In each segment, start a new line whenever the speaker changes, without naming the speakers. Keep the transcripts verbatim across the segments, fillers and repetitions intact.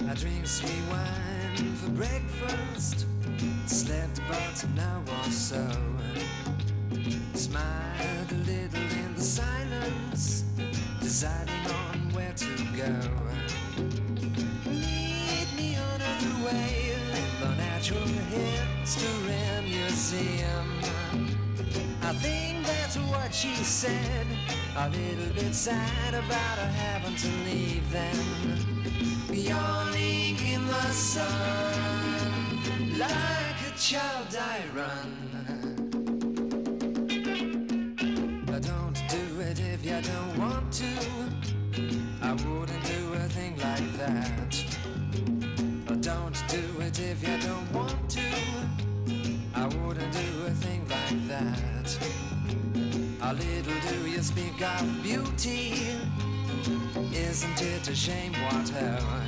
I drink sweet wine for breakfast, slept about an hour or so, smiled a little in the silence, deciding on where to go. Lead me on the way, the Natural History Museum. I think that's what she said, a little bit sad about her having to leave them. Yawning in the sun, like a child I run. But don't do it if you don't want to. I wouldn't do a thing like that. But don't do it if you don't want to. I wouldn't do a thing like that. A little do you speak of beauty. Isn't it a shame what hell?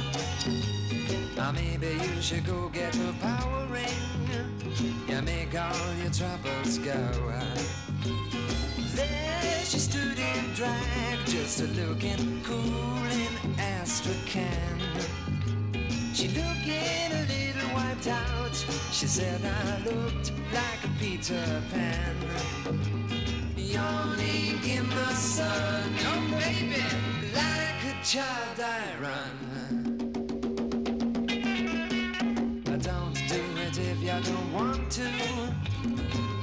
Now maybe you should go get a power ring. You make all your troubles go. There she stood in drag, just a looking cool in Astrakhan. She looking a little wiped out. She said I looked like a Peter Pan. Yawning in the sun, oh baby, like a child I run. I don't do it if you don't want to.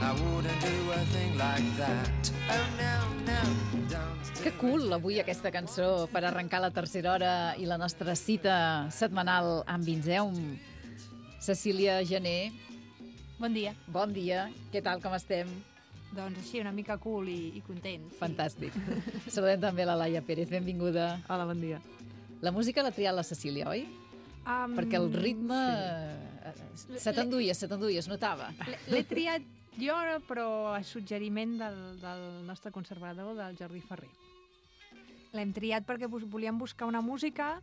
I wouldn't do a thing like that. Oh no, no, don't do.
Que cool avui aquesta cançó per arrencar la tercera hora i la nostra cita setmanal amb Vinzeum. Cecília Gené.
Bon dia.
Bon dia. Què tal, com estem?
Doncs així, una mica cool i, i content. Sí.
Fantàstic. Saludem també la Laia Pérez, benvinguda.
Hola, bon dia.
La música l'ha triat la Cecília, oi?
Um,
Perquè el ritme sí. se t'enduia, se t'enduia, es notava.
L'he triat jo, però a suggeriment del, del nostre conservador, del Jordi Ferrer. L'hem triat perquè volíem buscar una música.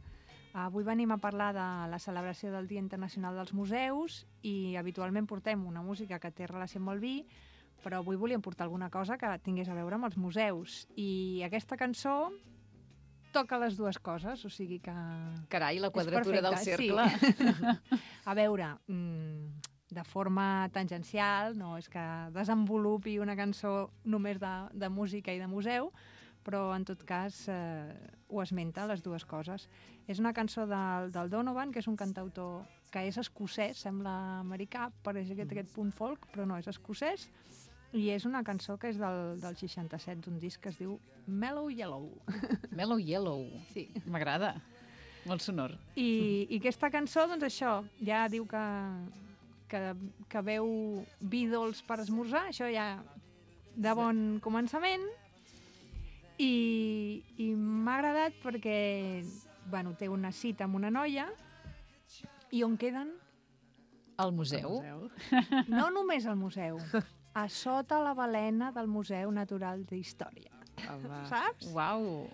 Avui venim a parlar de la celebració del Dia Internacional dels Museus i habitualment portem una música que té relació amb el vi, però avui volíem portar alguna cosa que tingués a veure amb els museus. I aquesta cançó toca les dues coses, o sigui que...
Carai, la quadratura del cercle.
Sí. A veure, de forma tangencial, no és que desenvolupi una cançó només de, de música i de museu, però en tot cas eh, ho esmenta, les dues coses. És una cançó del, del Donovan, que és un cantautor que és escocès, sembla americà, pareix aquest, aquest punt folk, però no, és escocès, i és una cançó que és del, del seixanta-set, d'un disc que es diu Mellow Yellow.
Mellow Yellow.
Sí.
M'agrada. Molt sonor.
I, I aquesta cançó, doncs això, ja diu que, que, que veu vi dolç per esmorzar, això ja de bon començament, i, i m'ha agradat perquè bueno, té una cita amb una noia, i on queden?
Al museu.
Al museu.
No només al museu, a sota la balena del Museu Natural d'Història.
Home.
Saps?
Uau.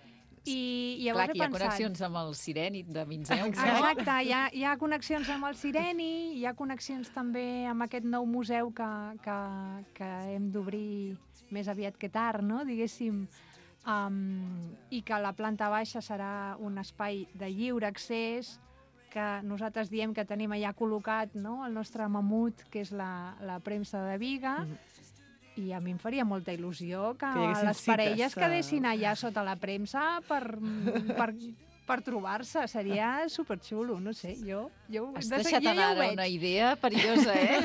I
Clar,
llavors
que hi ha
he pensat...
connexions amb el Sireni de Vinzeum.
Exacte, hi ha, hi ha connexions amb el Sireni, hi ha connexions també amb aquest nou museu que, que, que hem d'obrir més aviat que tard, no? Diguéssim, um, i que la planta baixa serà un espai de lliure accés, que nosaltres diem que tenim allà col·locat, no?, el nostre mamut, que és la, la premsa de Biga, mm-hmm. I a mi em faria molta il·lusió que, que les parelles
cites,
quedessin allà sota la premsa per, per, per trobar-se. Seria superxulo, no sé, jo... jo
Has
de
deixat
jo
anar
ja
una idea perillosa, eh?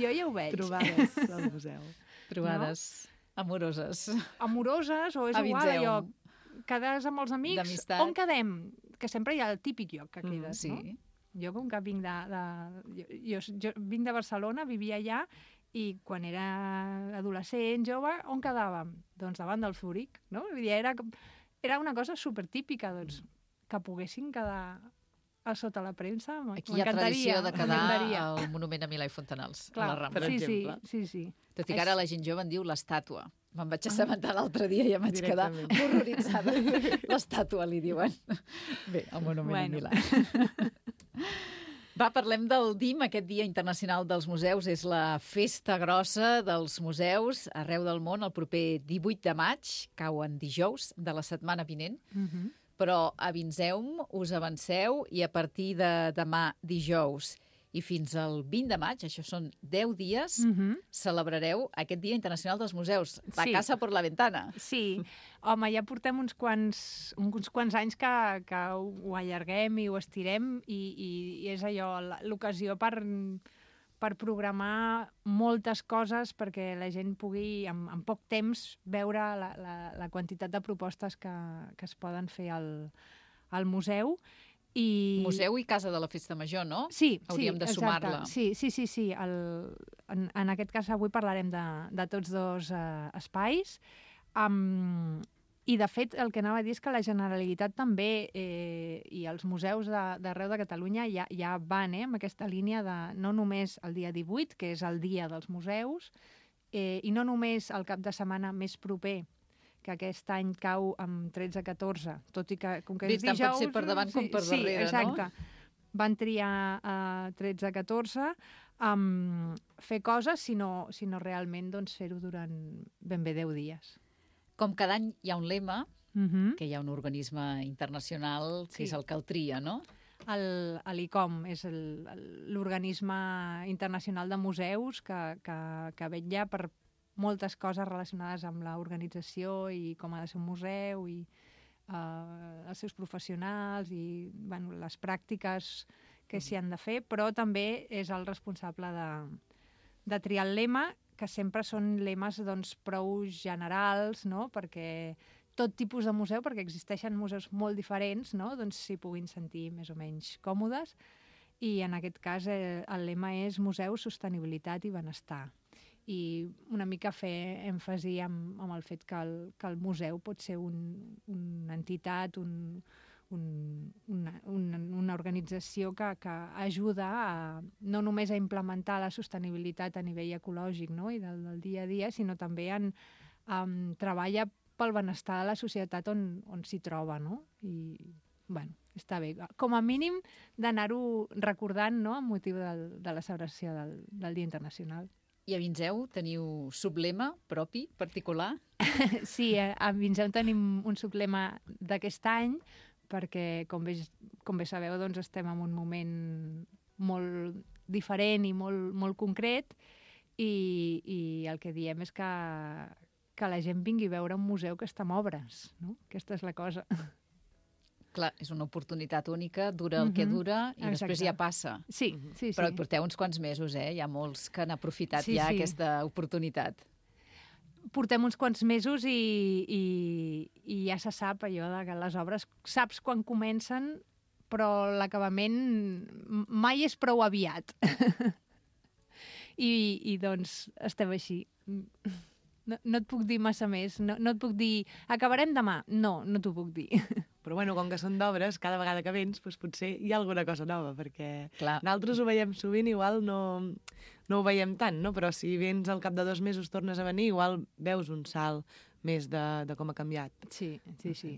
Jo ja ho veig.
Trobades al museu.
Trobades no? amoroses.
Amoroses, o és
a
igual,
Vinzeum.
allò, quedar amb els amics,
d'amistat.
on quedem? Que sempre hi ha el típic lloc que quedes,
mm, sí.
no? Jo com que vinc de... de jo, jo, jo vinc de Barcelona, vivia allà, i quan era adolescent, jove, on quedàvem? Doncs davant del Zúrich, no? Vull dir, era, era una cosa supertípica, doncs, que poguessin quedar a sota la premsa, m'encantaria.
Aquí hi ha tradició de quedar al monument a Milà i Fontanals,
clar,
a la Rambla.
Sí,
exemple.
sí, sí, sí.
Tot i que ara la gent jove en diu l'estàtua. Me'n vaig assabentar l'altre dia i em vaig quedar
Directament.
horroritzada. L'estàtua, li diuen. Bé, el monument
Bueno.
a Milà. Va, parlem del D I M, aquest Dia Internacional dels Museus. És la festa grossa dels museus arreu del món el proper divuit de maig, cau en dijous de la setmana vinent.
Mhm.
Però a Vinzeum us avanceu i a partir de demà dijous i fins al vint de maig, això són deu dies,
Mhm.
celebrareu aquest Dia Internacional dels Museus. La
Sí.
casa por la ventana.
Sí, home, ja portem uns quants, uns quants anys que, que ho, ho allarguem i ho estirem i, i, i és allò, la- l'ocasió per, per programar moltes coses perquè la gent pugui, en, en poc temps, veure la, la, la quantitat de propostes que, que es poden fer al, al museu. I...
Museu i Casa de la Festa Major, no?
Sí,
Hauríem
sí,
de
exacte.
sumar-la.
Sí, sí, sí. sí. El, en, en aquest cas avui parlarem de, de tots dos eh, espais. Um, I, de fet, el que anava a dir és que la Generalitat també eh, i els museus de- d'arreu de, de Catalunya ja, ja van eh, amb aquesta línia de no només el dia divuit, que és el dia dels museus, eh, i no només el cap de setmana més proper, que aquest any cau amb tretze catorze, tot i que com que
Bé,
és
tant pot
dijous...
ser per davant com per darrere,
sí,
no?
exacte. Van triar uh, tretze catorze um, fer coses, sinó, sinó realment doncs, fer-ho durant ben bé deu dies.
Com cada any hi ha un lema,
Uh -huh.
que hi ha un organisme internacional que
Sí.
és el que el tria, no?
El, l'I C O M és el- el- l'organisme internacional de museus que, que, que vetlla per moltes coses relacionades amb l'organització i com ha de ser un museu i uh, els seus professionals i bueno, les pràctiques que s'hi han de fer, però també és el responsable de, de triar el lema, que sempre són lemes doncs, prou generals, no? Perquè tot tipus de museu, perquè existeixen museus molt diferents, no? Doncs s'hi puguin sentir més o menys còmodes. I en aquest cas eh, el lema és Museu, Sostenibilitat i Benestar. I una mica fer èmfasi amb, amb el fet que el, que el museu pot ser un, una entitat, un, un, una, una, una organització que, que ajuda a, no només a implementar la sostenibilitat a nivell ecològic, no? I del, del dia a dia, sinó també en, um, treballa pel benestar de la societat on, on s'hi troba, no? I, bueno, està bé. Com a mínim d'anar-ho recordant, no?, amb motiu del, de la celebració del, del Dia Internacional.
I a Vinzeu teniu sublema propi, particular?
Sí, a, a Vinzeu tenim un sublema d'aquest any, perquè, com bé, com bé sabeu, doncs estem en un moment molt diferent i molt, molt concret, i, i el que diem és que, que la gent vingui a veure un museu que està en obres, no? Aquesta és la cosa.
Clar, és una oportunitat única, dura el que
Mhm.
dura i
Exacte.
després ja passa.
Sí, sí, sí.
Però hi porteu uns quants mesos, eh? Hi ha molts que han aprofitat
Sí,
ja
sí.
aquesta oportunitat.
Portem uns quants mesos i, i, i ja se sap allò de que les obres saps quan comencen, però l'acabament mai és prou aviat. I, I doncs estem així. No, no et puc dir massa més. No, no et puc dir, acabarem demà. No, no t'ho puc dir.
Però bueno, com que són d'obres, cada vegada que vens, doncs potser hi ha alguna cosa nova, perquè
Clar.
nosaltres ho veiem sovint, igual no, no ho veiem tant, no? Però si vens al cap de dos mesos tornes a venir, igual veus un salt més de, de com ha canviat.
Sí, sí, sí.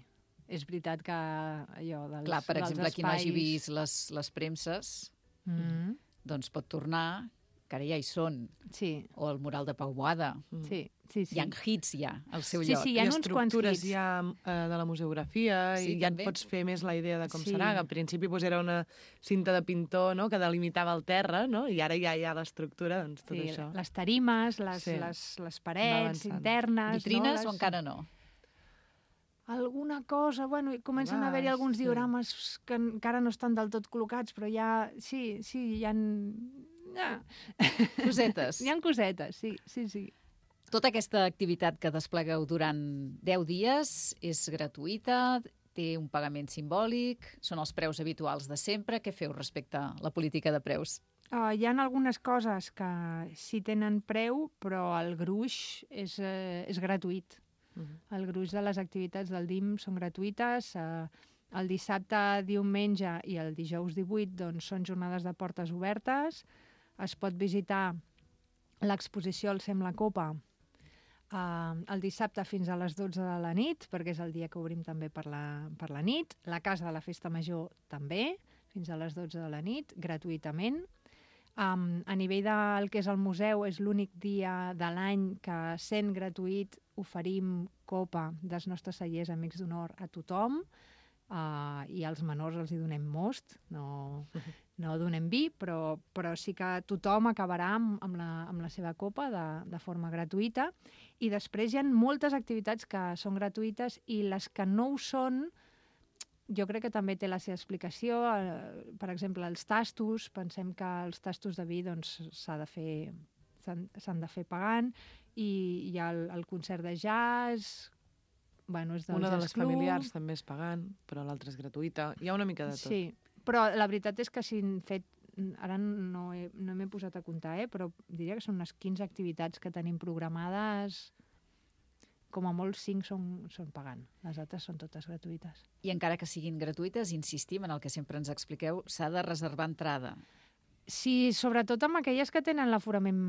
És veritat que allò dels,
Clar, per
dels
exemple, qui no hagi
espais-
vist les, les premses,
Mm,
doncs pot tornar, que ara ja hi són,
sí,
o el mural de Pau Boada.
sí, sí, sí.
Hi ha hits ja al seu
Sí,
lloc.
sí, hi ha
I
uns quants
estructures
hits.
ja eh, de la museografia,
Sí,
i ja
també.
et pots fer més la idea de com
Sí.
serà. Al principi doncs, era una cinta de pintor, no?, que delimitava el terra, no?, i ara ja hi ha l'estructura, doncs tot
Sí,
això.
les tarimes, les,
Sí.
les, les parets
avançant.
internes...
Vitrines
no?
o encara no?
Alguna cosa, bueno, i comencen a haver-hi
Vas,
alguns
sí.
diorames que encara no estan del tot col·locats, però ja, sí, sí, hi ha... Ja.
Cosetes.
Hi ha cosetes, sí, sí, sí.
Tota aquesta activitat que desplegueu durant deu dies és gratuïta, té un pagament simbòlic, són els preus habituals de sempre. Què feu respecte a la política de preus?
Uh, hi ha algunes coses que sí tenen preu, però el gruix és, uh, és gratuït.
Mhm.
El gruix de les activitats del D I M són gratuïtes. Uh, el dissabte, diumenge i el dijous divuit doncs, són jornades de portes obertes. Es pot visitar l'exposició El Sem la Copa Uh, el dissabte fins a les dotze de la nit, perquè és el dia que obrim també per la, per la nit. La Casa de la Festa Major també, fins a les dotze de la nit, gratuïtament. Um, a nivell del que és el museu, és l'únic dia de l'any que, sent gratuït, oferim copa dels nostres cellers Amics d'Honor a tothom, uh, i als menors els hi donem most, no, no donem vi, però, però sí que tothom acabarà amb, amb, la, amb la seva copa de, de forma gratuïta. I després hi ha moltes activitats que són gratuïtes i les que no ho són, jo crec que també té la seva explicació. Per exemple, els tastos, pensem que els tastos de vi doncs, s'ha de fer, s'han de fer pagant, i hi ha el, el concert de jazz, bueno, és del
Una de
Jazz
les
Club.
familiars també és pagant, però l'altra és gratuïta. Hi ha una mica de tot.
Sí, però la veritat és que si han fet, ara no, he, no m'he posat a comptar, eh, però diria que són unes quinze activitats que tenim programades. Com a molt cinc són, són pagant. Les altres són totes gratuïtes.
I encara que siguin gratuïtes, insistim en el que sempre ens expliqueu, s'ha de reservar entrada.
Sí, sobretot amb aquelles que tenen l'aforament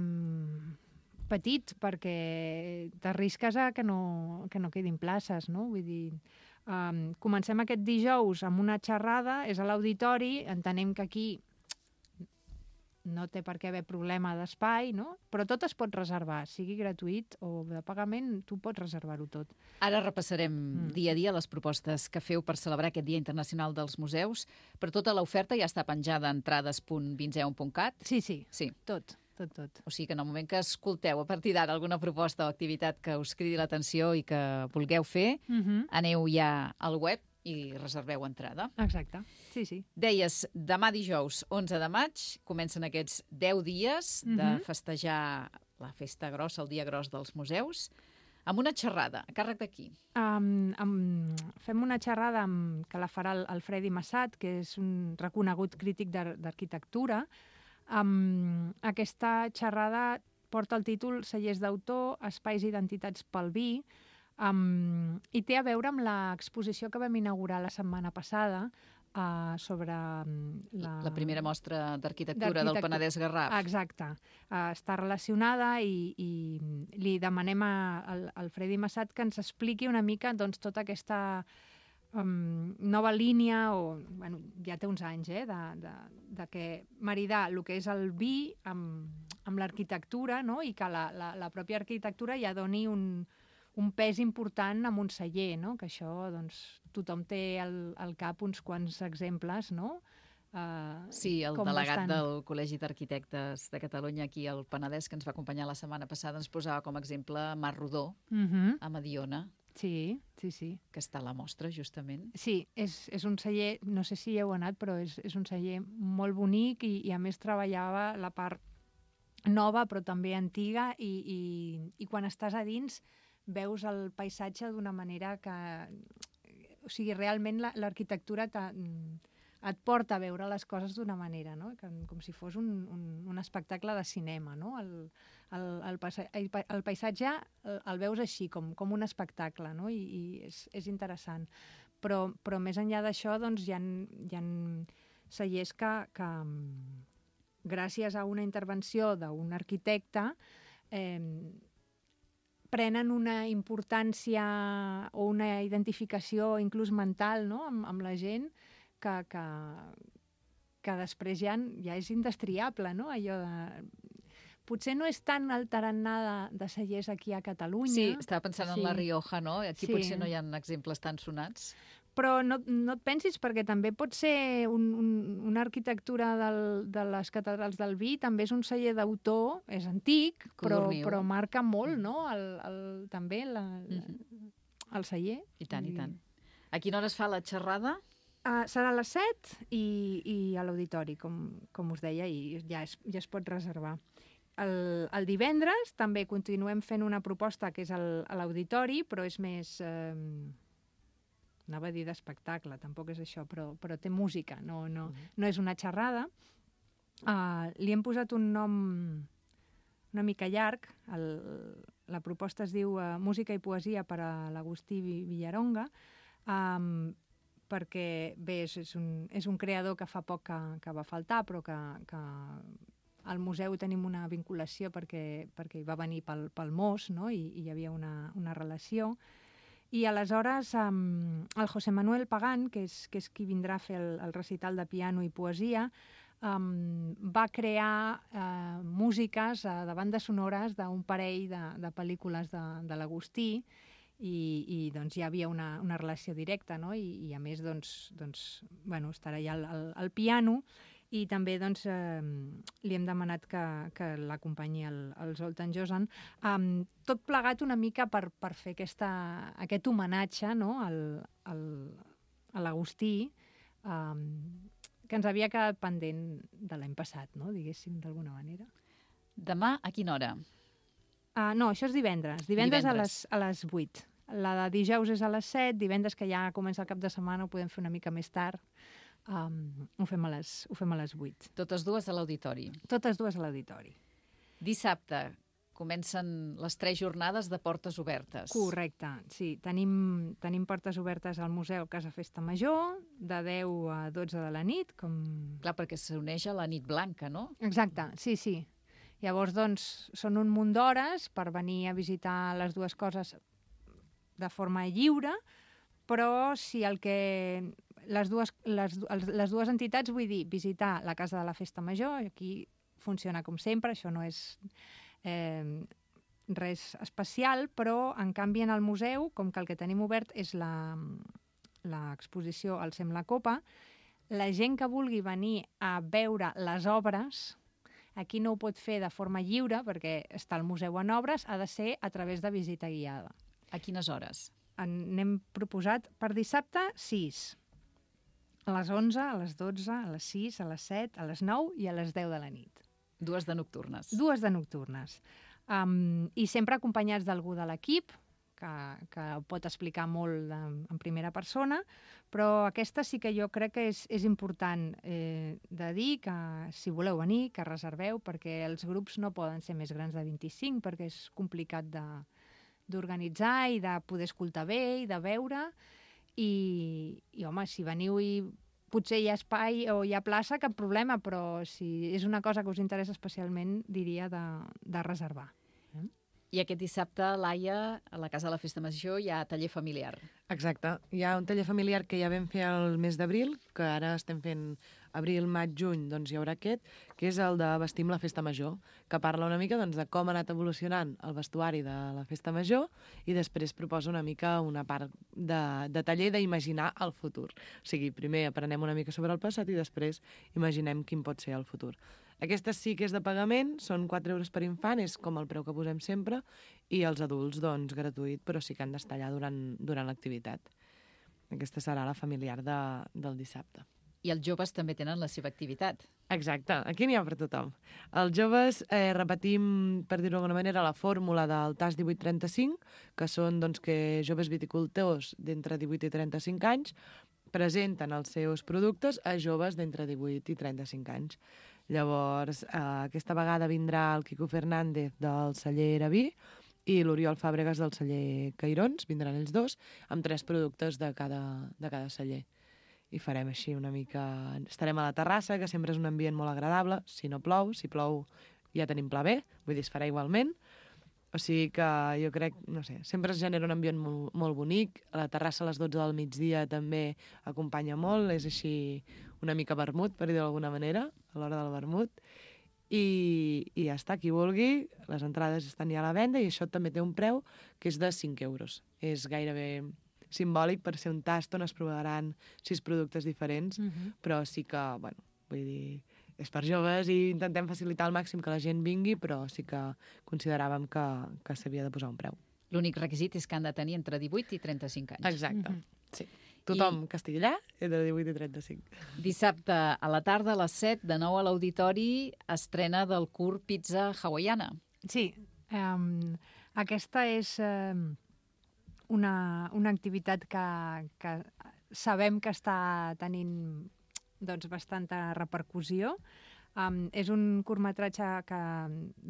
petit, perquè t'arrisques a que no, que no quedin places, no? Vull dir, um, comencem aquest dijous amb una xerrada, és a l'auditori, entenem que aquí no té per què haver problema d'espai, no? Però tot es pot reservar, sigui gratuït o de pagament, tu pots reservar-ho tot.
Ara repassarem
Mm.
dia a dia les propostes que feu per celebrar aquest Dia Internacional dels Museus, però tota l'oferta ja està penjada a entrades punt vinzeu punt cat.
Sí, sí,
Sí.
tot, tot, tot.
O sigui que en el moment que escolteu a partir d'ara alguna proposta o activitat que us cridi l'atenció i que vulgueu fer,
Uh -huh.
aneu ja al web i reserveu entrada.
Exacte, sí, sí.
Deies, demà dijous, onze de maig, comencen aquests deu dies de
Mhm.
festejar la festa grossa, el dia gros dels museus, amb una xerrada. A càrrec d'aquí?
Um, um, fem una xerrada amb, que la farà el, el Fredi Massat, que és un reconegut crític d'ar- d'arquitectura. Um, aquesta xerrada porta el títol Cellers d'autor, espais i identitats pel vi, um, i té a veure amb l'exposició que vam inaugurar la setmana passada uh, sobre um, la...
La primera mostra d'arquitectura del
D'arquitectura.
Penedès Garraf.
Exacte. Uh, està relacionada i, i li demanem a, al, al Fredi Massat que ens expliqui una mica doncs, tota aquesta um, nova línia, o, bueno, ja té uns anys, eh, de, de, de que maridar el que és el vi amb, amb l'arquitectura, no? I que la, la, la pròpia arquitectura ja doni un, un pes important amb un celler, no? Que això, doncs, tothom té al, al cap uns quants exemples, no? Uh,
Sí, el
com
delegat
bastant-
del Col·legi d'Arquitectes de Catalunya aquí al Penedès, que ens va acompanyar la setmana passada, ens posava com a exemple Mar Rodó,
Mhm.
a Mediona,
Sí, sí, sí.
que està a la mostra, justament.
Sí, és, és un celler, no sé si hi heu anat, però és, és un celler molt bonic i, i a més treballava la part nova però també antiga i, i, i quan estàs a dins veus el paisatge d'una manera que... O sigui, realment la- l'arquitectura t'ha- et porta a veure les coses d'una manera, no? Que, com si fos un, un, un espectacle de cinema, no? El, el, el, paisa- el, pa- el paisatge el, el veus així, com, com un espectacle, no? I, i és, és interessant. Però, però més enllà d'això, doncs, hi ha, hi ha cellers que, que, mm, gràcies a una intervenció d'un arquitecte, eh, prenen una importància o una identificació inclús mental, no? amb, amb la gent que, que, que després ja, ja és indestriable, no? Allò de... Potser no és tan el tarannà de, de cellers aquí a Catalunya.
Sí, estava pensant en
Sí.
la Rioja, no? Aquí
Sí.
potser no hi ha exemples tan sonats.
Però no, no et pensis, perquè també pot ser un, un, una arquitectura del, de les catedrals del vi, també és un celler d'autor, és antic, però,
Codorniu.
però marca molt, no?, el, el, també la, la,
Mhm.
el celler.
I tant, i
I-
tant. A quina hora es fa la xerrada?
Uh, serà a les set i, i a l'auditori, com, com us deia, i ja es, ja es pot reservar. El, el divendres també continuem fent una proposta que és el, a l'auditori, però és més... Eh, anava a dir d'espectacle, tampoc és això, però, però té música, no, no, no és una xerrada. Uh, li hem posat un nom una mica llarg. El, la proposta es diu uh, Música i poesia per a l'Agustí Vi- Villaronga, um, perquè, bé, és, és, un, és un creador que fa poc que, que va faltar, però que, que al museu tenim una vinculació perquè, perquè hi va venir pel, pel Mos, no? I, i hi havia una, una relació. I aleshores um, el José Manuel Pagán, que és, que és qui vindrà a fer el, el recital de piano i poesia, um, va crear uh, músiques uh, de bandes sonores d'un parell de, de pel·lícules de, de l'Agustí, i, i doncs hi havia una, una relació directa, no? I, i a més doncs, doncs, bueno, estarà allà el, el, el piano. I també doncs, eh, li hem demanat que, que l'acompanyi el, el Zoltan Josan. Um, tot plegat una mica per, per fer aquesta, aquest homenatge, no? al, al, a l'Agustí, um, que ens havia quedat pendent de l'any passat, no? Diguéssim, d'alguna manera.
Demà, a quina hora?
Uh, no, això és divendres. Divendres,
Divendres.
A, les, a les vuit. La de dijous és a les set, divendres, que ja comença el cap de setmana, ho podem fer una mica més tard. Um, ho, fem a les, ho fem a les vuit.
Totes dues a l'auditori.
Totes dues a l'auditori.
Dissabte comencen les tres jornades de portes obertes.
Correcte, sí. Tenim, tenim portes obertes al Museu Casa Festa Major, de deu a dotze de la nit. Com...
Clar, perquè s'uneix a la nit blanca, no?
Exacte, sí, sí. Llavors, doncs, són un munt d'hores per venir a visitar les dues coses de forma lliure, però si el que... Les dues, les, les dues entitats, vull dir, visitar la Casa de la Festa Major, aquí funciona com sempre, això no és eh, res especial, però en canvi en el museu, com que el que tenim obert és l'exposició Alcem la Copa, la gent que vulgui venir a veure les obres, aquí no ho pot fer de forma lliure, perquè està el museu en obres, ha de ser a través de visita guiada.
A quines hores?
N'hem proposat per dissabte sis. A les onze, a les dotze, a les sis, a les set, a les nou i a les deu de la nit.
Dues de nocturnes.
Dues de nocturnes. Um, I sempre acompanyats d'algú de l'equip, que, que pot explicar molt de, en primera persona, però aquesta sí que jo crec que és, és important eh, de dir que si voleu venir, que reserveu, perquè els grups no poden ser més grans de vint-i-cinc, perquè és complicat de, d'organitzar i de poder escoltar bé i de veure. I, i home, si veniu i potser hi ha espai o hi ha plaça, cap problema, però si és una cosa que us interessa especialment, diria de, de reservar. Eh?
I aquest dissabte, Laia, a la Casa de la Festa Major hi ha taller familiar.
Exacte. Hi ha un taller familiar que ja vam fer el mes d'abril, que ara estem fent abril, maig, juny, doncs hi haurà aquest, que és el de Vestim la Festa Major, que parla una mica doncs, de com ha anat evolucionant el vestuari de la Festa Major i després proposa una mica una part de, de taller d'imaginar el futur. O sigui, primer aprenem una mica sobre el passat i després imaginem quin pot ser el futur. Aquesta sí que és de pagament, són quatre euros per infant, és com el preu que posem sempre, i els adults, doncs, gratuït, però sí que han d'estar allà durant, durant l'activitat. Aquesta serà la familiar de, del dissabte.
I els joves també tenen la seva activitat.
Exacte, aquí n'hi ha per tothom. Els joves eh, repetim, per dir-ho d'alguna manera, la fórmula del T A S divuit trenta-cinc, que són doncs, que joves viticultors d'entre divuit i trenta-cinc anys presenten els seus productes a joves d'entre divuit i trenta-cinc anys. Llavors, eh, aquesta vegada vindrà el Quico Fernández del celler Eraví i l'Oriol Fàbregas del celler Cairons, vindran ells dos, amb tres productes de cada, de cada celler. I farem així una mica... Estarem a la terrassa, que sempre és un ambient molt agradable, si no plou, si plou ja tenim pla B, vull dir, es farà igualment. O sigui que jo crec, no sé, sempre es genera un ambient molt, molt bonic. A la terrassa a les dotze del migdia també acompanya molt, és així una mica vermut, per dir d'alguna manera, a l'hora del vermut. I, i ja està, qui vulgui, les entrades estan ja a la venda i això també té un preu que és de cinc euros. És gairebé simbòlic per ser un tast on es provaran sis productes diferents, uh-huh. però sí que, bueno, vull dir, és per joves i intentem facilitar al màxim que la gent vingui, però sí que consideràvem que, que s'havia de posar un preu.
L'únic requisit és que han de tenir entre divuit i trenta-cinc anys.
Exacte,
uh-huh.
sí. Tothom
I...
que estigui allà entre divuit i trenta-cinc.
Dissabte a la tarda a les set, de nou a l'auditori, estrena del curt Pizza Hawaiana.
Sí, um, aquesta és... Um... Una, una activitat que, que sabem que està tenint doncs, bastanta repercussió. Um, és un curtmetratge que,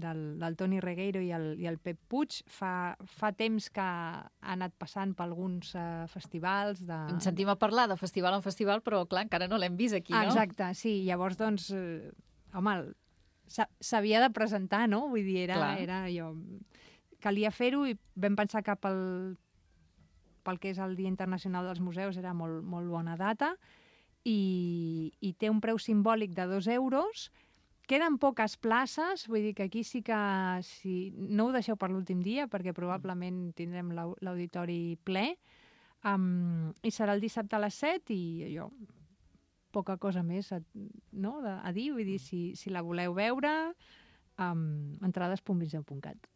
del, del Toni Regueiro i el, i el Pep Puig. Fa, fa temps que ha anat passant per alguns uh, festivals. De...
Ens sentim a parlar de festival en festival, però clar, encara no l'hem vist aquí, no?
Exacte, sí. Llavors, doncs, eh, home, s'havia de presentar, no? Vull dir, era,
Clar.
era allò... Calia fer-ho i vam pensar que pel, pel que és el Dia Internacional dels Museus era molt, molt bona data i, i té un preu simbòlic de dos euros. Queden poques places, vull dir que aquí sí que... Si, no ho deixeu per l'últim dia perquè probablement tindrem l'au- l'auditori ple. Um, I serà el dissabte a les set i allò, poca cosa més a, no, a, a dir. Vull dir, si, si la voleu veure, um, entrades punt viseu punt cat.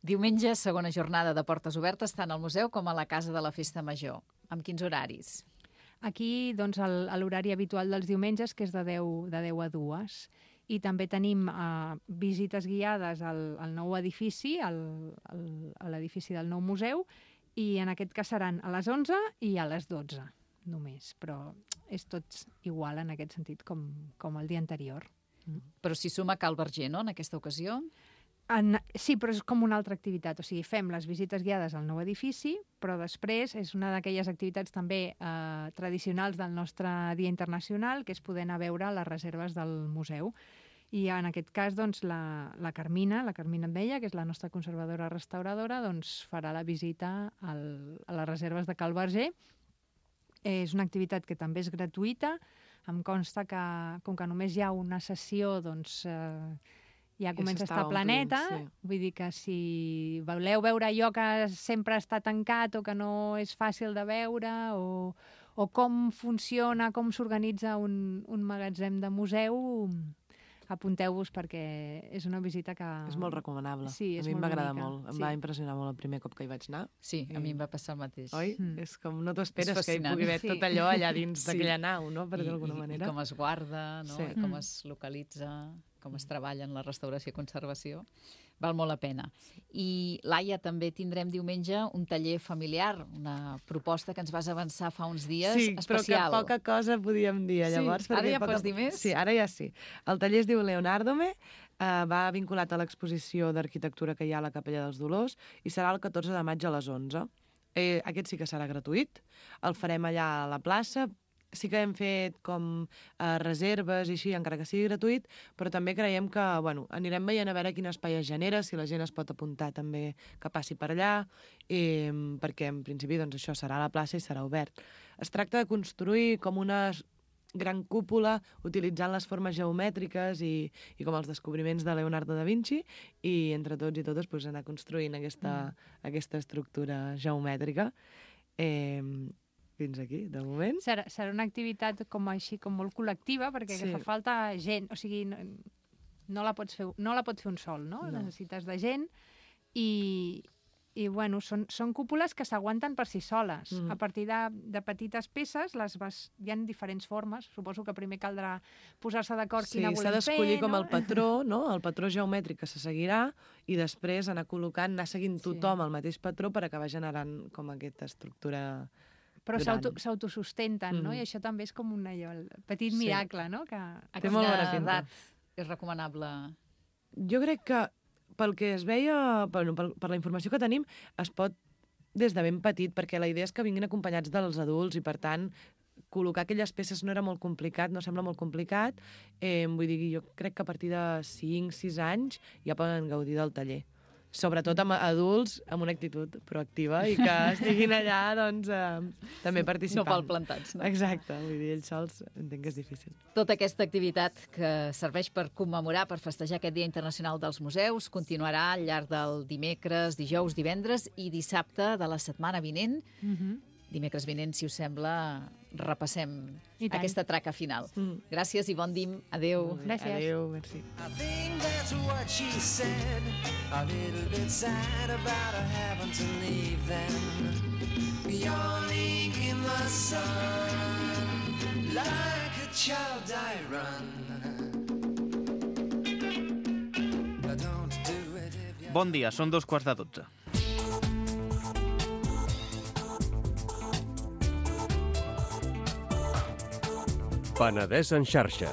Diumenge, segona jornada de portes obertes tant al museu com a la Casa de la Festa Major. Amb quins horaris?
Aquí, doncs, el- l'horari habitual dels diumenges, que és de deu, de deu a dues. I també tenim uh, visites guiades al, al nou edifici, al, al, a l'edifici del nou museu, i en aquest cas seran a les onze i a les dotze, només. Però és tot igual en aquest sentit com, com el dia anterior.
Però s'hi suma Cal Verger, no?, en aquesta ocasió.
En, sí, però és com una altra activitat. O sigui, fem les visites guiades al nou edifici, però després és una d'aquelles activitats també eh, tradicionals del nostre Dia Internacional, que és poder anar a veure les reserves del museu. I en aquest cas, doncs, la, la Carmina, la Carmina Endeia, que és la nostra conservadora restauradora, doncs, farà la visita al, a les reserves de Cal Verger. És una activitat que també és gratuïta. Em consta que, com que només hi ha una sessió, doncs... Eh, ja comença a estar planeta,
sí.
Vull dir que si voleu veure allò que sempre està tancat o que no és fàcil de veure, o, o com funciona, com s'organitza un, un magatzem de museu, apunteu-vos perquè és una visita que...
És molt recomanable.
Sí, és
a mi em
molt
va agradar
bonica.
molt. Em
Sí.
va impressionar molt el primer cop que hi vaig anar.
Sí, a mi em va passar el mateix.
Oi?
Mm.
És com no t'ho esperes
És
que hi
fascinant.
pugui haver
Sí.
tot allò allà dins
Sí.
d'aquella nau, no? Per
I,
dir d'alguna
i,
manera.
I com es guarda, no?
Sí.
I com
Mm.
es localitza, com es treballa en la restauració i conservació. Val molt la pena. I, Laia, també tindrem diumenge un taller familiar, una proposta que ens vas avançar fa uns dies,
Sí,
especial.
però que poca cosa podíem dir,
Sí?
llavors.
Ara
perquè
ja
poca...
pots dir més?
Sí, ara ja sí. El taller es diu Leonardome, eh, va vinculat a l'exposició d'arquitectura que hi ha a la Capella dels Dolors i serà el catorze de maig a les onze. Eh, aquest sí que serà gratuït. El farem allà a la plaça. Sí que hem fet com eh, reserves i així, encara que sigui gratuït, però també creiem que bueno, anirem veient a veure quin espai es genera, si la gent es pot apuntar també que passi per allà, i, perquè en principi doncs, això serà a la plaça i serà obert. Es tracta de construir com una gran cúpula utilitzant les formes geomètriques i, i com els descobriments de Leonardo da Vinci i entre tots i totes pues, anar construint aquesta, mm. aquesta estructura geomètrica. Eh, fins aquí, de moment.
Serà, serà una activitat com així, com molt col·lectiva, perquè
Sí.
sí. fa falta gent, o sigui, no, no, la pots fer, no la pots fer un sol, no?
No.
Necessites de gent i, i bueno, són, són cúpules que s'aguanten per si soles.
Mhm.
A partir de, de petites peces, les vas, hi ha diferents formes. Suposo que primer caldrà posar-se d'acord
Sí,
quina
s'ha
volem fer,
d'escollir com
no?
el patró, no? El patró geomètric que se seguirà i després anar col·locant, anar seguint
Sí.
tothom el mateix patró per acabar generant com aquesta estructura.
Però
gran.
s'auto- s'autosustenten, no?
Mhm.
I això també és com un allò, el petit
Sí.
miracle, no? Que...
A
Té molt bona
quina
pinta.
edat és recomanable?
Jo crec que pel que es veia, bueno, per, per la informació que tenim, es pot des de ben petit, perquè la idea és que vinguin acompanyats dels adults i, per tant, col·locar aquelles peces no era molt complicat, no sembla molt complicat. Eh, vull dir, jo crec que a partir de cinc sis anys ja poden gaudir del taller. Sobretot amb adults amb una actitud proactiva i que estiguin allà, doncs, eh, també
No
participant.
palplantats, no?
Exacte, vull dir, ells sols entenc que és difícil.
Tota aquesta activitat que serveix per commemorar, per festejar aquest Dia Internacional dels Museus, continuarà al llarg del dimecres, dijous, divendres i dissabte de la setmana vinent.
Mhm.
Dimecres vinent, si us sembla, repassem
I tant.
aquesta traca final.
Mm.
Gràcies i bon dim. Adéu.
Molt bé.
Gràcies.
Adéu, merci.
I think that's what she said. A little bit sad about her having to leave them. Yawning in the sun, like a child I run. Don't do it if you...
Bon dia, són dos quarts de dotze.
Penedès en xarxa.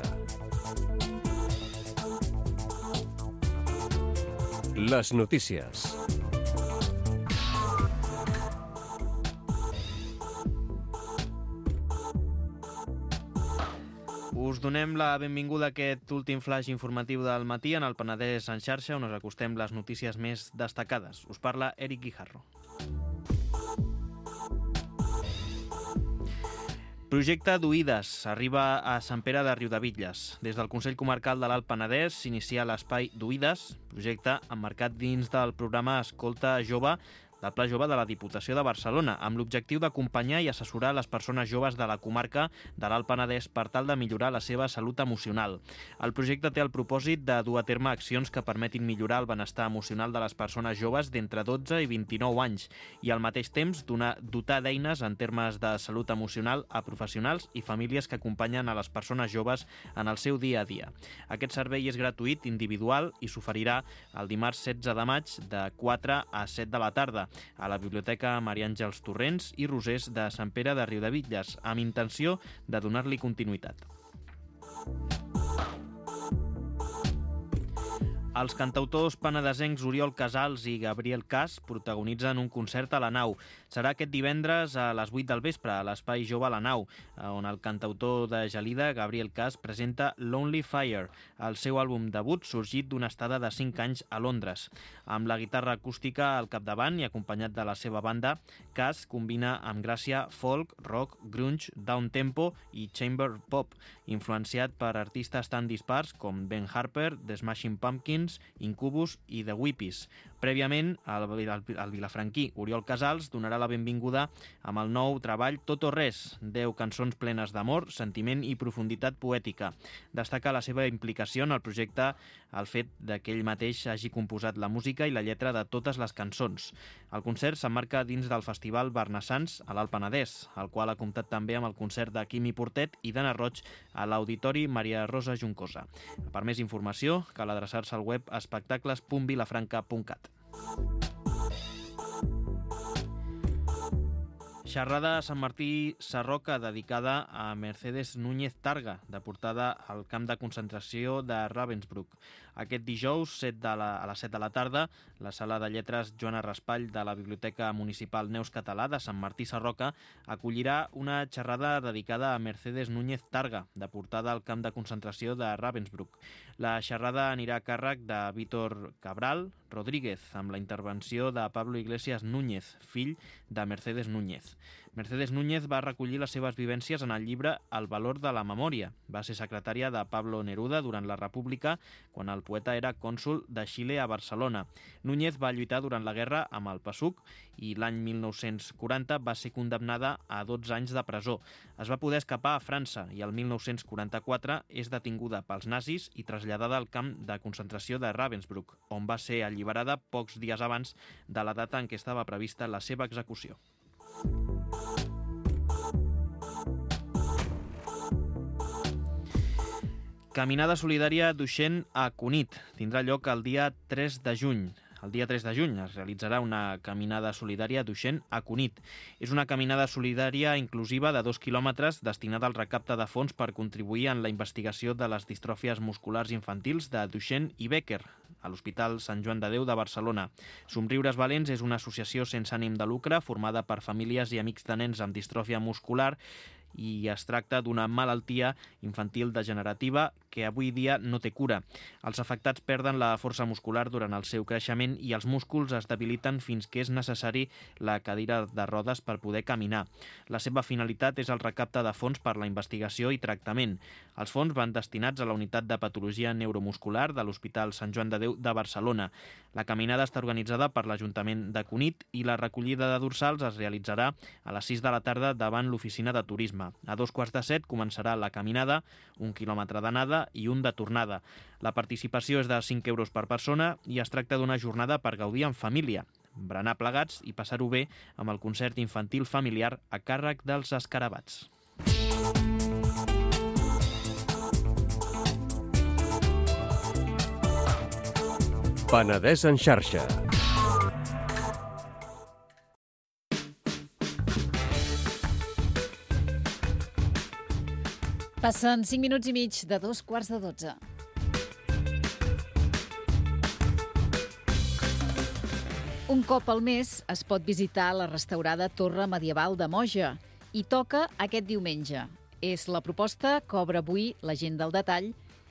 Les notícies.
Us donem la benvinguda a aquest últim flash informatiu del matí en el Penedès en xarxa, on us acostem les notícies més destacades. Us parla Eric Guijarro. Projecte d'Oïdes arriba a Sant Pere de Riudebitlles. Des del Consell Comarcal de l'Alt Penedès s'inicia l'espai d'Oïdes, projecte emmarcat dins del programa Escolta Jove del Pla Jove de la Diputació de Barcelona, amb l'objectiu d'acompanyar i assessorar les persones joves de la comarca de l'Alt Penedès per tal de millorar la seva salut emocional. El projecte té el propòsit de dur a terme accions que permetin millorar el benestar emocional de les persones joves d'entre dotze i vint-i-nou anys i al mateix temps donar, dotar d'eines en termes de salut emocional a professionals i famílies que acompanyen a les persones joves en el seu dia a dia. Aquest servei és gratuït, individual i s'oferirà el dimarts setze de maig de quatre a set de la tarda a la Biblioteca Maria Àngels Torrents i Rosers de Sant Pere de Riudebitlles, amb intenció de donar-li continuïtat. Els cantautors penedesencs Oriol Casals i Gabriel Cas protagonitzen un concert a la Nau. Serà aquest divendres a les vuit del vespre a l'Espai Jove a la Nau, on el cantautor de Gelida, Gabriel Cas, presenta Lonely Fire, el seu àlbum debut sorgit d'una estada de cinc anys a Londres. Amb la guitarra acústica al capdavant i acompanyat de la seva banda, Cas combina amb gràcia folk, rock, grunge, downtempo i chamber pop, influenciat per artistes tan dispars com Ben Harper, The Smashing Pumpkins, Incubus i The Whippies. Prèviament, el, el, el vilafranquí Oriol Casals donarà la benvinguda amb el nou treball Tot o Res, deu cançons plenes d'amor, sentiment i profunditat poètica. Destaca la seva implicació en el projecte el fet que ell mateix hagi composat la música i la lletra de totes les cançons. El concert s'emmarca dins del Festival Barnassans a l'Alt Penedès, el qual ha comptat també amb el concert de Quimi Portet i d'Anna Roig a l'Auditori Maria Rosa Juncosa. Per més informació, cal adreçar-se al web espectacles punt vilafranca punt cat. Xerrada a Sant Martí Sarroca dedicada a Mercedes Núñez Targa, deportada al camp de concentració de Ravensbrück. Aquest dijous, set de la, a les set de la tarda, la Sala de Lletres Joana Raspall de la Biblioteca Municipal Neus Català de Sant Martí Sarroca acollirà una xerrada dedicada a Mercedes Núñez Targa, deportada al camp de concentració de Ravensbrück. La xerrada anirà a càrrec de Víctor Cabral Rodríguez, amb la intervenció de Pablo Iglesias Núñez, fill de Mercedes Núñez. Mercedes Núñez va recollir les seves vivències en el llibre El valor de la memòria. Va ser secretària de Pablo Neruda durant la República, quan el poeta era cònsol de Xile a Barcelona. Núñez va lluitar durant la guerra amb el PSUC i l'any mil nou-cents quaranta va ser condemnada a dotze anys de presó. Es va poder escapar a França i el mil nou-cents quaranta-quatre és detinguda pels nazis i traslladada al camp de concentració de Ravensbrück, on va ser alliberada pocs dies abans de la data en què estava prevista la seva execució. Caminada solidària Duixent a Cunit. Tindrà lloc el dia tres de juny. El dia tres de juny es realitzarà una caminada solidària Duixent a Cunit. És una caminada solidària inclusiva de dos quilòmetres destinada al recapte de fons per contribuir en la investigació de les distròfies musculars infantils de Duixent i Becker a l'Hospital Sant Joan de Déu de Barcelona. Somriures Valents és una associació sense ànim de lucre formada per famílies i amics de nens amb distròfia muscular i es tracta d'una malaltia infantil degenerativa que avui dia no té cura. Els afectats perden la força muscular durant el seu creixement i els músculs es debiliten fins que és necessari la cadira de rodes per poder caminar. La seva finalitat és el recapte de fons per la investigació i tractament. Els fons van destinats a la unitat de patologia neuromuscular de l'Hospital Sant Joan de Déu de Barcelona. La caminada està organitzada per l'Ajuntament de Cunit i la recollida de dorsals es realitzarà a les sis de la tarda davant l'oficina de turisme. A dos quarts de set començarà la caminada, un quilòmetre d'anada i un de tornada. La participació és de cinc euros per persona i es tracta d'una jornada per gaudir en família, berenar plegats i passar-ho bé amb el concert infantil familiar a càrrec dels Escarabats.
Penedès en xarxa.
Passen cinc minuts i mig de dos quarts de dotze. Un cop al mes es pot visitar la restaurada Torre Medieval de Moja i toca aquest diumenge. És la proposta que obre avui la gent del detall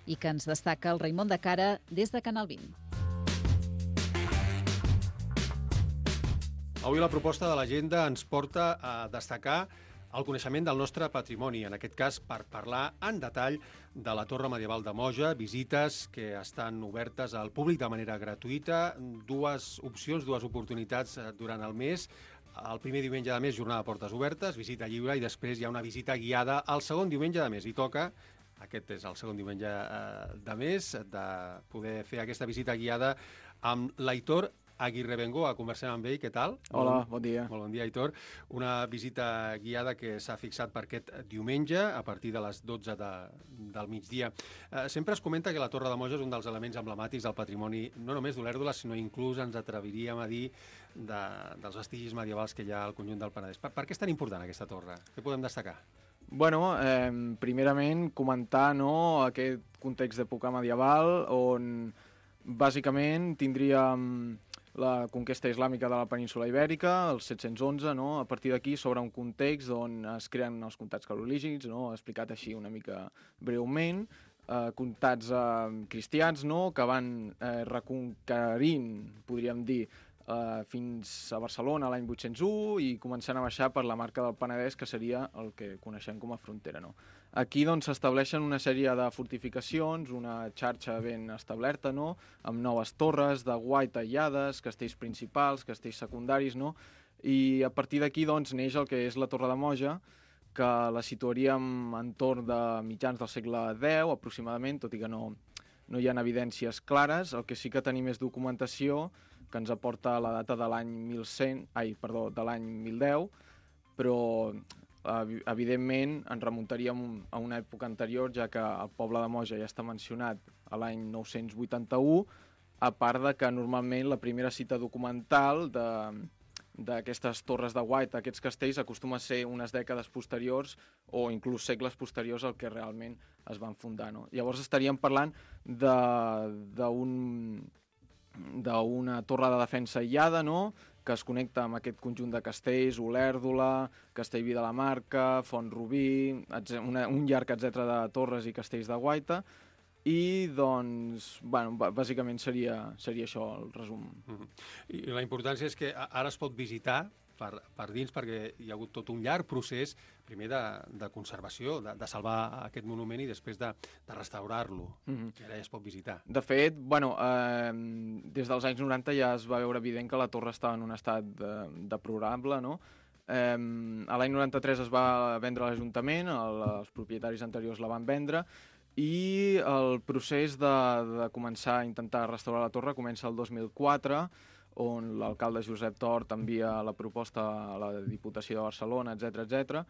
i que ens destaca el Raimon de Cara des de Canal vint.
Avui la proposta de l'agenda ens porta a destacar el coneixement del nostre patrimoni, en aquest cas per parlar en detall de la Torre Medieval de Moja, visites que estan obertes al públic de manera gratuïta, dues opcions, dues oportunitats durant el mes. El primer diumenge de mes, jornada de portes obertes, visita lliure, i després hi ha una visita guiada el segon diumenge de mes. I toca, aquest és el segon diumenge de mes, de poder fer aquesta visita guiada amb l'Aitor Aguirre Bengoa. Conversem amb ell, què tal?
Hola, bon dia.
Molt bon dia, Aitor. Una visita guiada que s'ha fixat per aquest diumenge a partir de les dotze de, del migdia. Eh, sempre es comenta que la Torre de Moja és un dels elements emblemàtics del patrimoni, no només d'Olèrdola, sinó inclús ens atreviríem a dir de, dels vestigis medievals que hi ha al conjunt del Penedès. Per, per què és tan important aquesta torre? Què podem destacar?
Bueno, eh, primerament comentar, no, aquest context d'època medieval on bàsicament tindríem la conquesta islàmica de la península Ibèrica, el set-cents onze, no? A partir d'aquí s'obre un context on es creen els comtats carolígics, no? Explicat així una mica breument, eh, comtats eh, cristians, no? Que van eh, reconquerint, podríem dir, eh, fins a Barcelona l'any vuit-cents u i començant a baixar per la marca del Penedès, que seria el que coneixem com a frontera, no? Aquí doncs s'estableixen una sèrie de fortificacions, una xarxa ben establerta, no? Amb noves torres de guaita aïllades, castells principals, castells secundaris, no? I a partir d'aquí doncs neix el que és la Torre de Moja, que la situaríem entorn de mitjans del segle deu, aproximadament, tot i que no, no hi ha evidències clares. El que sí que tenim és documentació que ens aporta la data de l'any mil cent, ai, perdó, de l'any mil deu, però evidentment ens remuntaríem a una època anterior, ja que el poble de Moja ja està mencionat a l'any nou-cents vuitanta-u, a part de que normalment la primera cita documental d'aquestes torres de guaita, aquests castells, acostuma a ser unes dècades posteriors o inclús segles posteriors al que realment es van fundar, no? Llavors estaríem parlant d'un d'una torre de defensa aïllada, no?, que es connecta amb aquest conjunt de castells, Olèrdola, Castellví de la Marca, Font-rubí, una, un llarg etcètera de torres i castells de guaita, i doncs, bueno, bàsicament seria, seria això el resum.
Mm-hmm. I la importància és que ara es pot visitar per, per dins, perquè hi ha hagut tot un llarg procés, primer de, de conservació, de, de salvar aquest monument i després de, de restaurar-lo. Mm-hmm. I ara ja es pot visitar.
De fet, bueno, eh, des dels anys noranta ja es va veure evident que la torre estava en un estat de, deplorable, no? Eh, a l'any noranta-tres es va vendre a l'Ajuntament, el, els propietaris anteriors la van vendre, i el procés de, de començar a intentar restaurar la torre comença el dos mil quatre, on l'alcalde Josep Tort envia la proposta a la Diputació de Barcelona, etcètera, etcètera.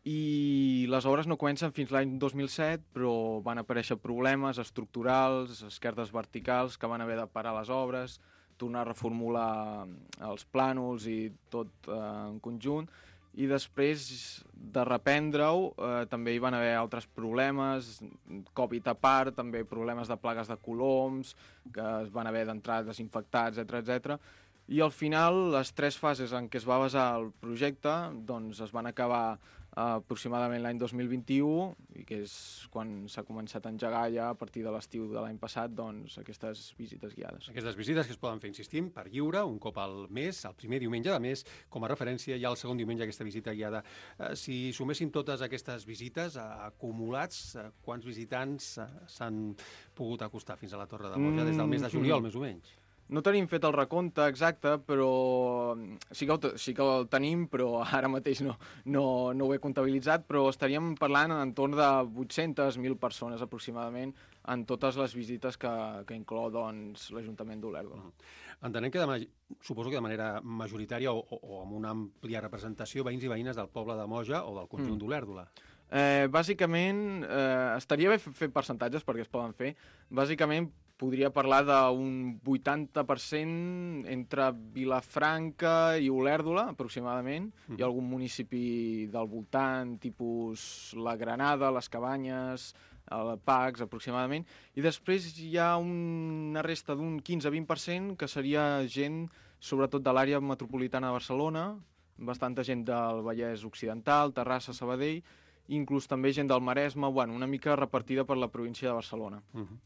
I les obres no comencen fins l'any dos mil set, però van aparèixer problemes estructurals, esquerdes verticals, que van haver de parar les obres, tornar a reformular els plànols i tot eh, en conjunt. I després de reprendre-ho eh, també hi van haver altres problemes, Covid a part, també problemes de plagues de coloms, que es van haver d'entrar desinfectats, etcètera, etcètera. I al final, les tres fases en què es va basar el projecte doncs es van acabar eh, aproximadament l'any dos mil vint-i-u, i que és quan s'ha començat a engegar ja a partir de l'estiu de l'any passat doncs, aquestes visites guiades.
Aquestes visites que es poden fer, insistim, per lliure, un cop al mes, el primer diumenge de mes, com a referència, hi ha el segon diumenge aquesta visita guiada. Eh, si suméssim totes aquestes visites eh, acumulats, eh, quants visitants eh, s'han pogut acostar fins a la Torre de Moja des del mes de juliol, mm. més o menys?
No tenim fet el recompte exacte, però sí que, el, sí que el tenim, però ara mateix no, no, no ho he comptabilitzat, però estaríem parlant en entorn de vuit-centes mil persones aproximadament en totes les visites que, que inclou doncs, l'Ajuntament d'Olèrdola.
Mm. Entenem que, de, suposo que de manera majoritària o, o, o amb una àmplia representació, veïns i veïnes del poble de Moja o del conjunt mm. d'Olèrdola.
Eh, bàsicament, eh, estaria bé fer percentatges perquè es poden fer. Bàsicament, podria parlar d'un vuitanta per cent entre Vilafranca i Olèrdola, aproximadament. Mm. Hi ha algun municipi del voltant, tipus la Granada, les Cabanyes, el Pacs, aproximadament. I després hi ha una resta d'un quinze a vint per cent que seria gent, sobretot de l'àrea metropolitana de Barcelona, bastanta gent del Vallès Occidental, Terrassa, Sabadell, inclús també gent del Maresme, bueno, una mica repartida per la província de Barcelona.
Uh -huh.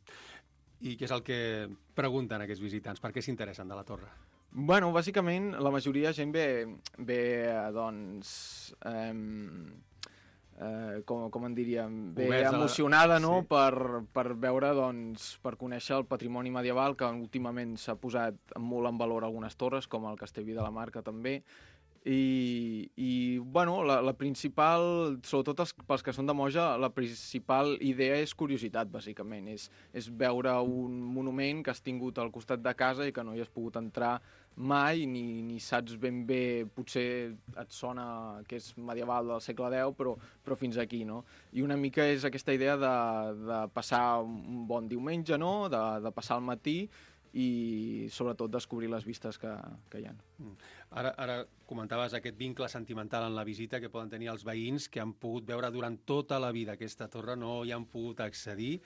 I què és el que pregunten aquests visitants? Per què s'interessen de la torre?
Bueno, bàsicament, la majoria de gent ve, ve doncs, eh, eh, com, com en diríem, ve
Oberts a la-
emocionada, no?,
Sí.
per, per veure, doncs, per conèixer el patrimoni medieval, que últimament s'ha posat molt en valor algunes torres, com el Castellví de la Marca també, i, i bueno, la, la principal, sobretot els, pels que són de Moja, la principal idea és curiositat, bàsicament. És, és veure un monument que has tingut al costat de casa i que no hi has pogut entrar mai, ni, ni saps ben bé, potser et sona que és medieval del segle deu, però, però fins aquí, no? I una mica és aquesta idea de, de passar un bon diumenge, no?, de, de passar el matí i sobretot descobrir les vistes que, que hi ha.
Ara, ara comentaves aquest vincle sentimental en la visita que poden tenir els veïns que han pogut veure durant tota la vida aquesta torre, no hi han pogut accedir.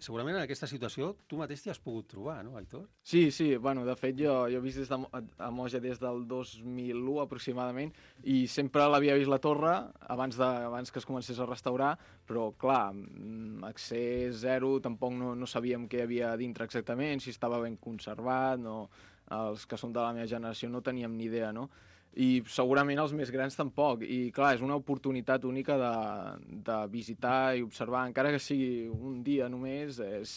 Segurament en aquesta situació tu mateix t'hi has pogut trobar, no, Aitor?
Sí, sí, bueno, de fet jo, jo he vist des de, Mo- a Moja des del dos mil u aproximadament i sempre l'havia vist la torre abans, de, abans que es comencés a restaurar, però clar, mm, accés zero, tampoc no, no sabíem què hi havia dintre exactament, si estava ben conservat, no, els que són de la meva generació no teníem ni idea, no? I segurament els més grans tampoc, i clar, és una oportunitat única de, de visitar i observar, encara que sigui un dia només, és,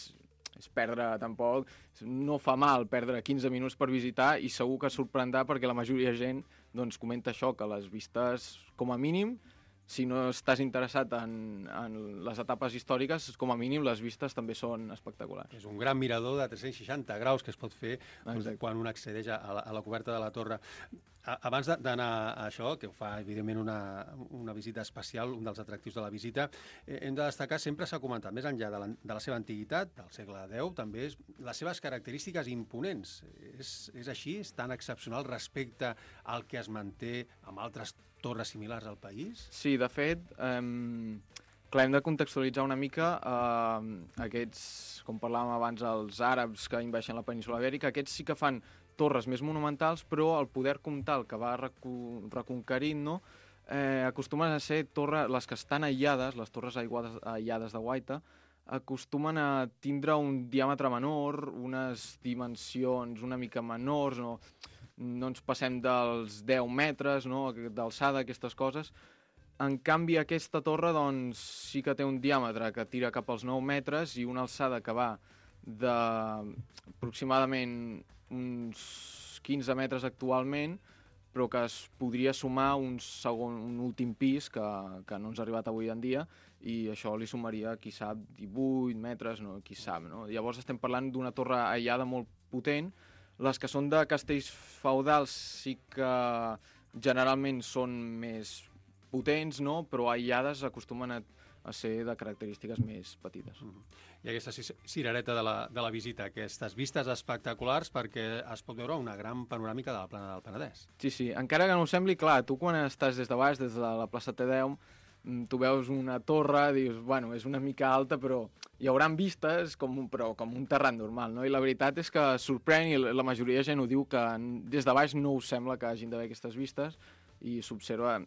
és perdre tampoc, no fa mal perdre quinze minuts per visitar i segur que sorprendrà perquè la majoria de gent doncs, comenta això, que les vistes, com a mínim, si no estàs interessat en, en les etapes històriques, com a mínim les vistes també són espectaculars.
És un gran mirador de tres-cents seixanta graus que es pot fer doncs,
Exacte.
quan un accedeix a la, a la coberta de la torre. A, abans de- d'anar a això, que ho fa evidentment una, una visita especial, un dels atractius de la visita, eh, hem de destacar, sempre s'ha comentat, més enllà de la, de la seva antiguitat, del segle deu, també és les seves característiques imponents. És, és així? És tan excepcional respecte al que es manté amb altres torres similars al país?
Sí, de fet, eh, clar, hem de contextualitzar una mica eh, aquests, com parlàvem abans, els àrabs que inveixen la península Ibèrica, aquests sí que fan torres més monumentals, però el poder comtal que va recu reconquerint, no?, eh, acostumen a ser torres, les que estan aïllades, les torres aiguades, aïllades de Guaita, acostumen a tindre un diàmetre menor, unes dimensions una mica menors, no, no ens passem dels deu metres, no?, d'alçada, aquestes coses. En canvi, aquesta torre doncs, sí que té un diàmetre que tira cap als nou metres i una alçada que va d'aproximadament uns quinze metres actualment, però que es podria sumar un, segon, un últim pis que, que no ens ha arribat avui en dia, i això li sumaria, qui sap, divuit metres, no, qui sap, no? Llavors estem parlant d'una torre aïllada molt potent. Les que són de castells feudals sí que generalment són més potents, no?, però aïllades acostumen a, a ser de característiques més petites.
I aquesta ci- cirereta de la, de la visita, aquestes vistes espectaculars perquè es pot veure una gran panoràmica de la plana del Penedès.
Sí, sí, encara que no ho sembli, clar, tu quan estàs des de baix, des de la plaça Tedeum, mm, tu veus una torre, dius, bueno, és una mica alta, però hi haurà vistes com un, però com un terrat normal, no? I la veritat és que sorprèn, i la la majoria de gent ho diu, que n- des de baix no us sembla que hagin d'haver aquestes vistes, i s'observa.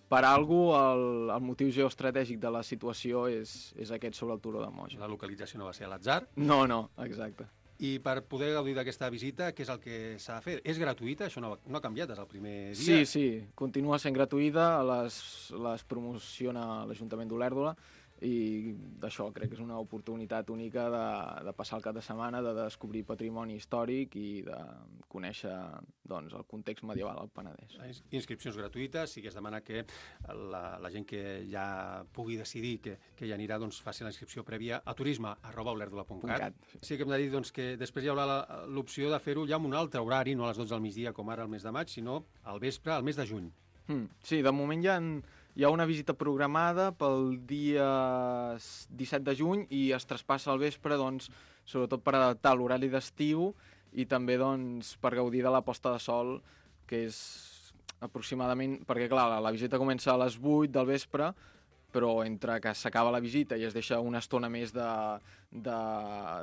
Per algú, el, el motiu geoestratègic de la situació és, és aquest sobre el turó de Moja.
La localització no va ser a l'atzar.
No, no, exacte.
I per poder gaudir d'aquesta visita, què és el que s'ha de fer? És gratuïta? Això no, no ha canviat des del primer dia?
Sí, sí, continua sent gratuïta, les, les promociona l'Ajuntament d'Olèrdola, i d'això crec que és una oportunitat única de, de passar el cap de setmana, de descobrir patrimoni històric i de conèixer doncs, el context medieval al Penedès.
Les inscripcions gratuïtes, sí que es demana que la, la gent que ja pugui decidir que, que hi anirà doncs, faci la inscripció prèvia a turisme arroba olèrdola punt cat. Sí que hem de dir doncs, que després hi haurà la- l'opció de fer-ho ja amb un altre horari, no a les dotze del migdia com ara al mes de maig, sinó al vespre, al mes de juny.
Mm, sí, de moment hi ha, hi ha una visita programada pel dia disset de juny i es traspassa al vespre, doncs, sobretot per adaptar l'horari d'estiu i també doncs, per gaudir de la posta de sol, que és aproximadament... Perquè, clar, la, la visita comença a les vuit del vespre, però entre que s'acaba la visita i es deixa una estona més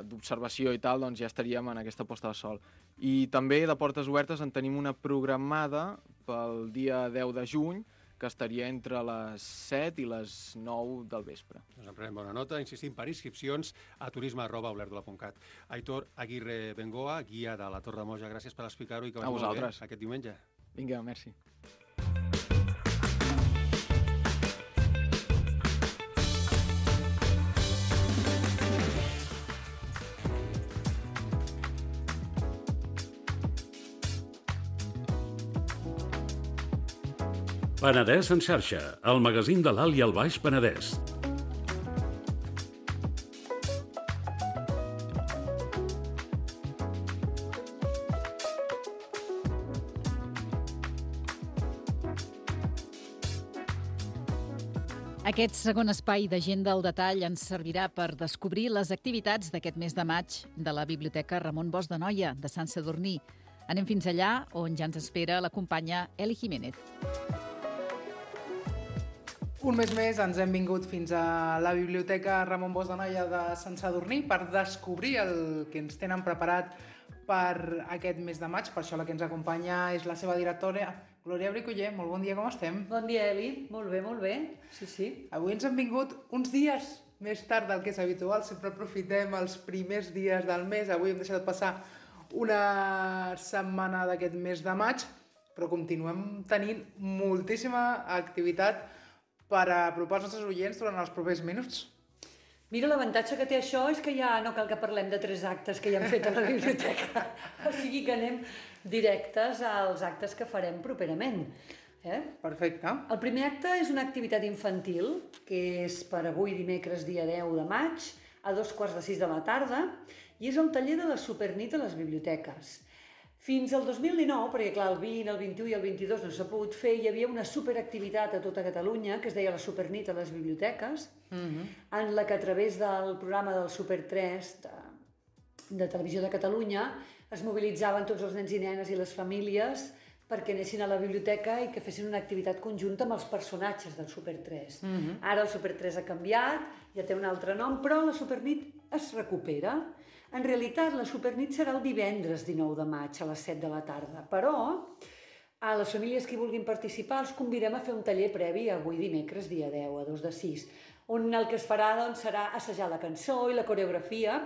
d'observació i tal, doncs ja estaríem en aquesta posta de sol. I també de portes obertes en tenim una programada pel dia deu de juny, que estaria entre les set i les nou del vespre.
Doncs en prenem bona nota. Insistim, per inscripcions a turisme arroba olèrdola punt cat. Aitor Aguirre Bengoa, guia de la Torre de Moja, gràcies per explicar-ho i que
A
vagi molt bé
vosaltres.
aquest diumenge.
Vinga, merci.
Penedès en xarxa, el magazín de l'Alt i el Baix Penedès.
Aquest segon espai d'agenda al detall ens servirà per descobrir les activitats d'aquest mes de maig de la Biblioteca Ramon Bosch de Noia, de Sant Sadurní. Anem fins allà, on ja ens espera la companya Eli Jiménez.
Un mes més ens hem vingut fins a la Biblioteca Ramon Bosch de Noia de Sant Sadurní per descobrir el que ens tenen preparat per aquest mes de maig. Per això la que ens acompanya és la seva directora, Glòria Bricoller. Molt bon dia, com estem?
Bon dia, Eli. Molt bé, molt bé. Sí, sí.
Avui ens hem vingut uns dies més tard del que és habitual. Sempre aprofitem els primers dies del mes. Avui hem deixat passar una setmana d'aquest mes de maig, però continuem tenint moltíssima activitat per apropar els nostres oients durant els propers minuts.
Mira, l'avantatge que té això és que ja no cal que parlem de tres actes que ja hem fet a la biblioteca. O sigui que anem directes als actes que farem properament. Eh?
Perfecte.
El primer acte és una activitat infantil, que és per avui dimecres dia deu de maig, a dos quarts de sis de la tarda, i és el taller de la Supernit a les biblioteques. Fins al dos mil dinou, perquè clar, el vint, el vint-i-u i el vint-i-dos no s'ha pogut fer, hi havia una superactivitat a tota Catalunya que es deia la Supernit a les biblioteques,
Mm-hmm.
en la que a través del programa del Super tres de, de Televisió de Catalunya es mobilitzaven tots els nens i nenes i les famílies perquè anessin a la biblioteca i que fessin una activitat conjunta amb els personatges del Super tres.
Mm-hmm.
Ara el Super tres ha canviat, ja té un altre nom, però la Supernit es recupera. En realitat, la Supernit serà el divendres dinou de maig a les set de la tarda, però a les famílies que hi vulguin participar els convidem a fer un taller previ avui dimecres dia deu a dos de sis, on el que es farà doncs, serà assajar la cançó i la coreografia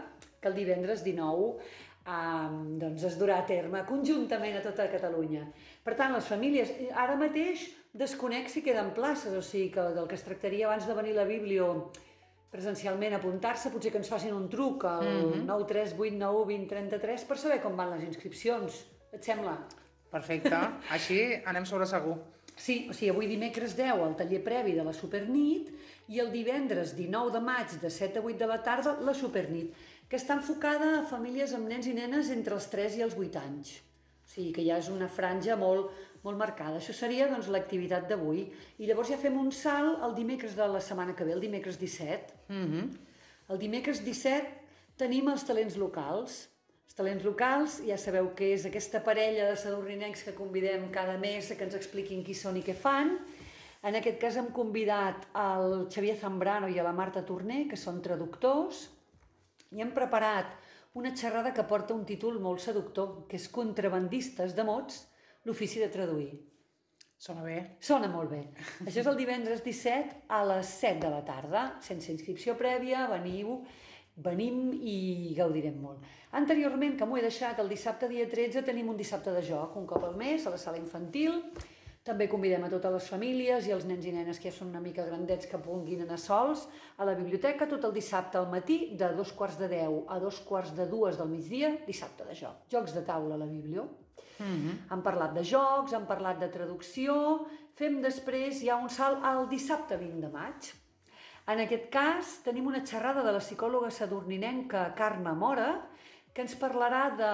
que el divendres dinou eh, doncs es durà a terme conjuntament a tota Catalunya. Per tant, les famílies, ara mateix desconec si queden places, o sigui que del que es tractaria abans de venir a la Biblio presencialment a apuntar-se, potser que ens facin un truc al
Mm-hmm.
nou tres vuit nou vint trenta-tres per saber com van les inscripcions. Et sembla?
Perfecte. Així anem sobre segur.
Sí, o sigui, avui dimecres deu el taller previ de la Supernit i el divendres dinou de maig de set a vuit de la tarda la Supernit, que està enfocada a famílies amb nens i nenes entre els tres i els vuit anys. O sigui que ja és una franja molt, molt marcada. Això seria doncs, l'activitat d'avui. I llavors ja fem un salt el dimecres de la setmana que ve, el dimecres disset.
Mm-hmm.
El dimecres disset tenim els talents locals. Els talents locals, ja sabeu què és aquesta parella de sadurninencs que convidem cada mes a que ens expliquin qui són i què fan. En aquest cas hem convidat al Xavier Zambrano i a la Marta Torner, que són traductors, i hem preparat una xerrada que porta un títol molt seductor, que és Contrabandistes de mots, l'ofici de traduir.
Sona bé.
Sona molt bé. Això és el divendres disset a les set de la tarda, sense inscripció prèvia, veniu, venim i gaudirem molt. Anteriorment, que m'ho he deixat, el dissabte dia tretze tenim un dissabte de joc, un cop al mes, a la sala infantil. També convidem a totes les famílies i els nens i nenes que ja són una mica grandets que puguin anar sols a la biblioteca tot el dissabte al matí, de dos quarts de deu a dos quarts de dues del migdia, dissabte de joc. Jocs de taula a la biblio.
Mm-hmm.
Han parlat de jocs, han parlat de traducció, fem després ja un salt al dissabte vint de maig. En aquest cas tenim una xerrada de la psicòloga sadurninenca Carme Mora, que ens parlarà de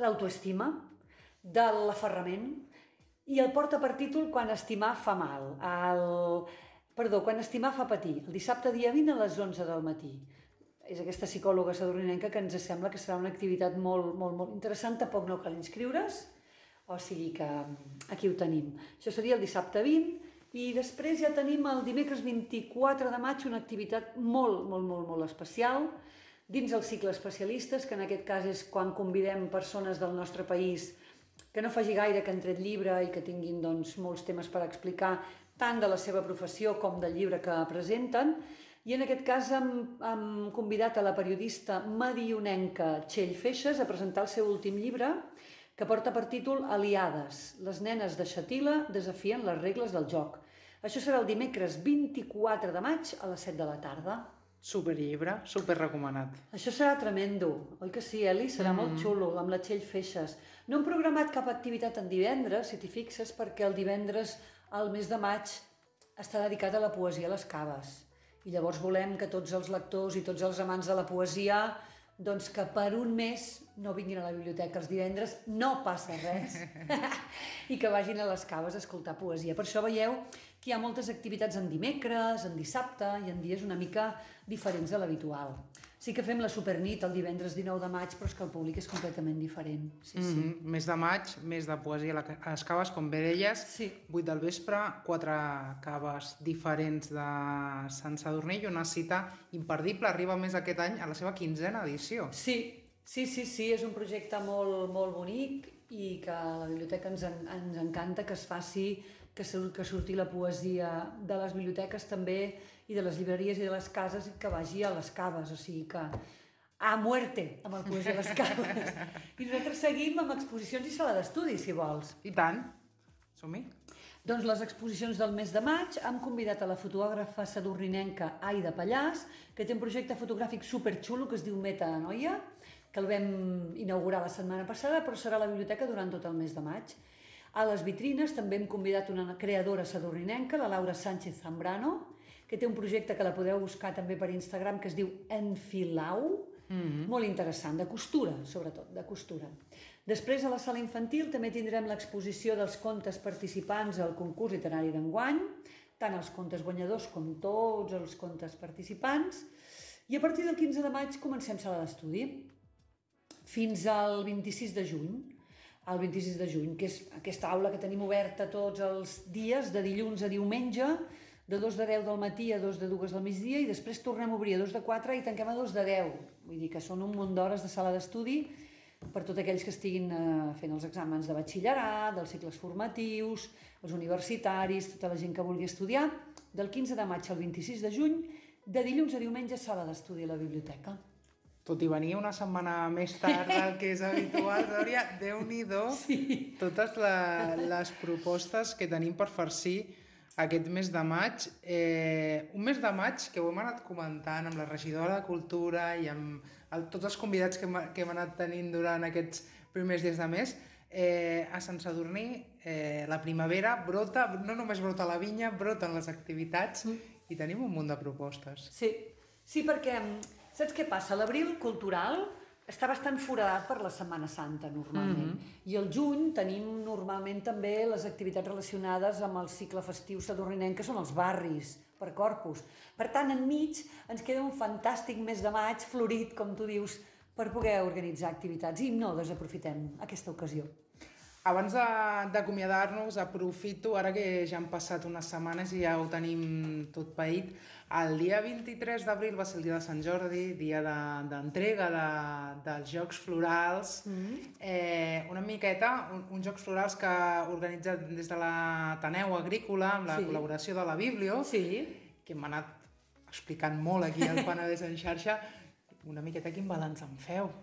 l'autoestima, de l'aferrament, i el porta per títol Quan estimar fa mal. El... Perdó, Quan estimar fa patir. El dissabte dia vint a les onze del matí. És aquesta psicòloga sadurninenca que ens sembla que serà una activitat molt, molt, molt interessant. Tampoc no cal inscriure's, o sigui que aquí ho tenim. Això seria el dissabte vint, i després ja tenim el dimecres vint-i-quatre de maig una activitat molt, molt, molt, molt especial dins el cicle especialistes, que en aquest cas és quan convidem persones del nostre país que no faci gaire que han tret llibre i que tinguin doncs, molts temes per explicar, tant de la seva professió com del llibre que presenten. I en aquest cas hem, hem convidat a la periodista medionenca Txell Feixes a presentar el seu últim llibre, que porta per títol Aliades, les nenes de Xàtiva desafien les regles del joc. Això serà el dimecres vint-i-quatre de maig a les set de la tarda.
Superllibre, superrecomanat.
Això serà tremendo, oi que sí, Eli? Serà mm. molt xulo, amb la Txell Feixes. No hem programat cap activitat en divendres, si t'hi fixes, perquè el divendres, al mes de maig, està dedicat a la poesia a les caves. I llavors volem que tots els lectors i tots els amants de la poesia, doncs que per un mes no vinguin a la biblioteca els divendres, no passa res, i que vagin a les caves a escoltar poesia. Per això veieu que hi ha moltes activitats en dimecres, en dissabte i en dies una mica diferents de l'habitual. Sí que fem la supernit el divendres dinou de maig, però és que el públic és completament diferent. Sí, sí.
Mm-hmm. Mes de maig, mes de poesia a les caves, com bé deies,
sí.
vuit del vespre, quatre caves diferents de Sant Sadurní i una cita imperdible. Arriba més aquest any a la seva quinzena edició.
Sí, sí, sí, sí, és un projecte molt, molt bonic i que a la biblioteca ens, en, ens encanta que es faci, que, que surti la poesia de les biblioteques també i de les llibreries i de les cases i que vagi a les caves, o sigui que a muerte amb el poesia a les caves. I nosaltres seguim amb exposicions i sala d'estudi, si vols.
I tant, som-hi.
Doncs les exposicions del mes de maig hem convidat a la fotògrafa sadurninenca Aida Pallàs, que té un projecte fotogràfic superxulo que es diu Meta Noia, que el vam inaugurar la setmana passada, però serà a la biblioteca durant tot el mes de maig. A les vitrines també hem convidat una creadora sadurninenca, la Laura Sánchez Zambrano, que té un projecte que la podeu buscar també per Instagram, que es diu Enfilau, mm-hmm. molt interessant, de costura, sobretot, de costura. Després, a la sala infantil, també tindrem l'exposició dels contes participants al concurs literari d'enguany, tant els contes guanyadors com tots els contes participants, i a partir del quinze de maig comencem sala d'estudi, fins al vint-i-sis de juny, el vint-i-sis de juny, que és aquesta aula que tenim oberta tots els dies, de dilluns a diumenge, de dos de deu del matí a dos de dues del migdia, i després tornem a obrir a dos de quatre i tanquem a dos de deu. Vull dir que són un munt d'hores de sala d'estudi per tots aquells que estiguin fent els exàmens de batxillerat, dels cicles formatius, els universitaris, tota la gent que vulgui estudiar, del quinze de maig al vint-i-sis de juny, de dilluns a diumenge, sala d'estudi a la biblioteca.
Tot i venir una setmana més tard del que és habitual, Dòria, Déu-n'hi-do, sí. totes la, les propostes que tenim per farcir aquest mes de maig. Eh, un mes de maig que ho hem anat comentant amb la regidora de Cultura i amb el, tots els convidats que hem, que hem anat tenint durant aquests primers dies de mes. Eh, a Sant Sadurní eh, la primavera brota, no només brota la vinya, broten les activitats mm. i tenim un munt de propostes.
Sí, sí perquè... Saps què passa? L'abril cultural està bastant foradat per la Setmana Santa, normalment. Mm-hmm. I el juny tenim normalment també les activitats relacionades amb el cicle festiu sadurninenc, que són els barris, per Corpus. Per tant, enmig ens queda un fantàstic mes de maig, florit, com tu dius, per poder organitzar activitats. I no desaprofitem aquesta ocasió.
Abans d'acomiadar-nos, aprofito, ara que ja han passat unes setmanes i ja ho tenim tot paït, el dia vint-i-tres d'abril va ser el dia de Sant Jordi, dia d'entrega de, de, dels Jocs Florals, mm-hmm. eh, una miqueta, un, uns Jocs Florals que organitza des de l'Ateneu Agrícola, amb la sí. col·laboració de la Biblio,
sí.
que m'ha anat explicant molt aquí al Penedès en xarxa, una miqueta quin balanç en feu.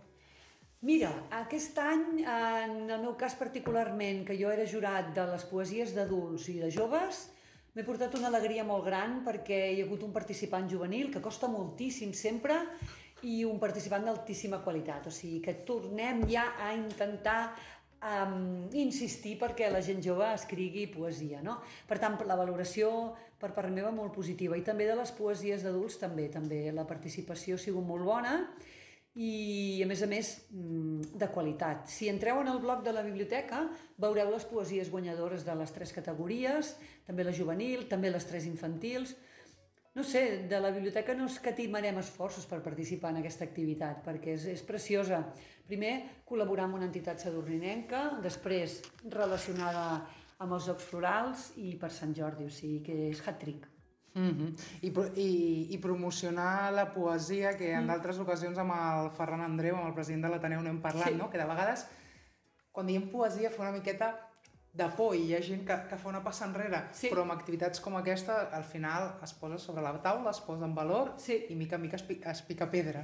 Mira, aquest any, en el meu cas particularment, que jo era jurat de les poesies d'adults i de joves, m'he portat una alegria molt gran perquè hi ha hagut un participant juvenil que costa moltíssim sempre i un participant d'altíssima qualitat. O sigui que tornem ja a intentar um, insistir perquè la gent jove escrigui poesia, no? Per tant, la valoració per part meva molt positiva i també de les poesies d'adults també, també la participació ha sigut molt bona i, a més a més, de qualitat. Si entreu en el blog de la biblioteca, veureu les poesies guanyadores de les tres categories, també la juvenil, també les tres infantils. No sé, de la biblioteca no escatimarem esforços per participar en aquesta activitat, perquè és, és preciosa. Primer, col·laborar amb una entitat sadurninenca, després, relacionada amb els Jocs Florals i per Sant Jordi, o sigui que és hat-trick.
Mm-hmm. I, i, i promocionar la poesia, que en mm. d'altres ocasions amb el Ferran Andreu, amb el president de l'Ateneu, n'hem parlat, sí. no? Que de vegades quan diem poesia fa una miqueta de por i hi ha gent que, que fa una passa enrere, sí. Però amb activitats com aquesta al final es posa sobre la taula, es posa en valor sí. I mica en mica es, pica, es pica pedra.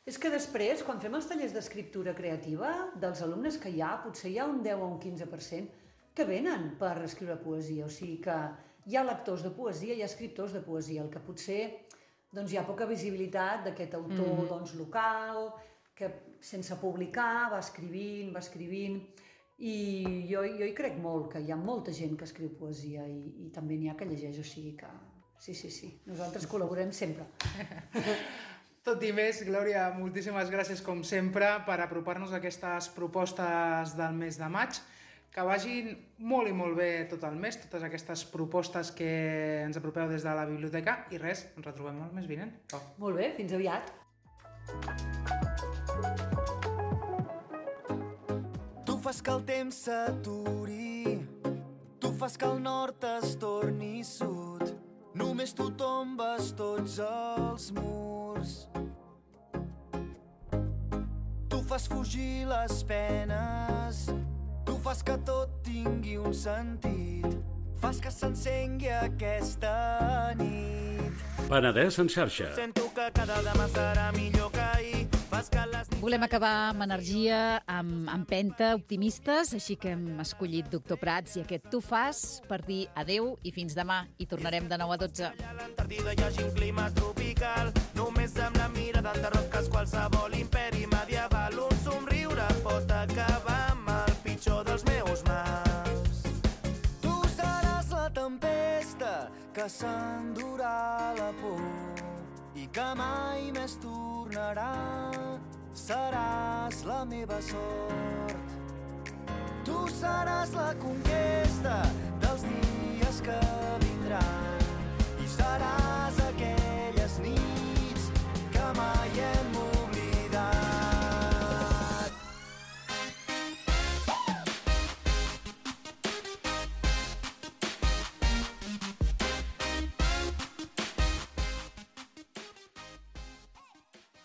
És que després, quan fem els tallers d'escriptura creativa, dels alumnes que hi ha, potser hi ha un deu o un quinze per cent que venen per escriure poesia. O sigui que hi ha lectors de poesia, hi ha escriptors de poesia, el que potser doncs, hi ha poca visibilitat d'aquest autor mm-hmm. doncs, local, que sense publicar va escrivint, va escrivint... I jo, jo hi crec molt, que hi ha molta gent que escriu poesia i, i també n'hi ha que llegeix, o sigui que... Sí, sí, sí, nosaltres col·laborem sempre.
Tot i més, Glòria, moltíssimes gràcies com sempre per apropar-nos a aquestes propostes del mes de maig. Que vagin molt i molt bé tot el mes, totes aquestes propostes que ens apropeu des de la biblioteca. I res, ens retrobem el mes vinent. Oh.
Molt bé, fins aviat.
Tu fas que el temps s'aturi, tu fas que el nord es torni sud, només tu tombes tots els murs. Tu fas fugir les penes, tu fas que tot tingui un sentit, fas que s'encengui aquesta nit.
Penedès en xarxa.
Sento que cada demà serà millor que ahir.
Volem acabar amb energia, amb empenta, optimistes, així que hem escollit Doctor Prats i aquest Tu fas per dir adeu i fins demà. I tornarem de nou a dotze.
A l'Antàrtida hi hagi un clima tropical, només amb la mirada enderroques qualsevol imperi medieval. Un somriure pot acabar amb el pitjor dels meus mals. Tu seràs la tempesta que s'endurà la por i que mai més tornarà. Seràs la meva sort. Tu seràs la conquesta dels dies que vindran i seràs